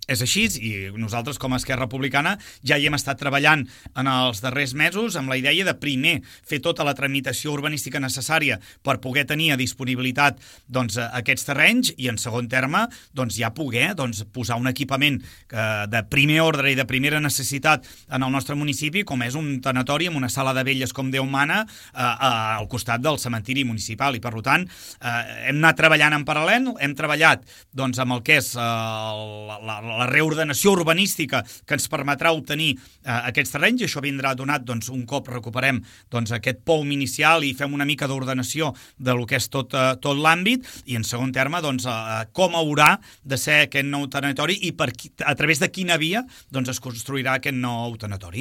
És així, i nosaltres com a Esquerra Republicana ja hi hem estat treballant en els darrers mesos amb la idea de primer fer tota la tramitació urbanística necessària per poder tenir a disponibilitat aquests terrenys i en segon terme ja poder posar un equipament de primer ordre i de primera necessitat en el nostre municipi, com és un tanatori amb una sala de velles com Déu mana al costat del cementiri municipal, i per tant hem anat treballant en paral·lel, hem treballat amb el que és la reordenació urbanística que ens permetrà obtenir aquests terrenys, i això vindrà donat un cop recuperem aquest POUM inicial i fem una mica d'ordenació de lo que és tot l'àmbit, i en segon terme com haurà de ser aquest nou tanatori i a través de quina via es construirà aquest nou tanatori.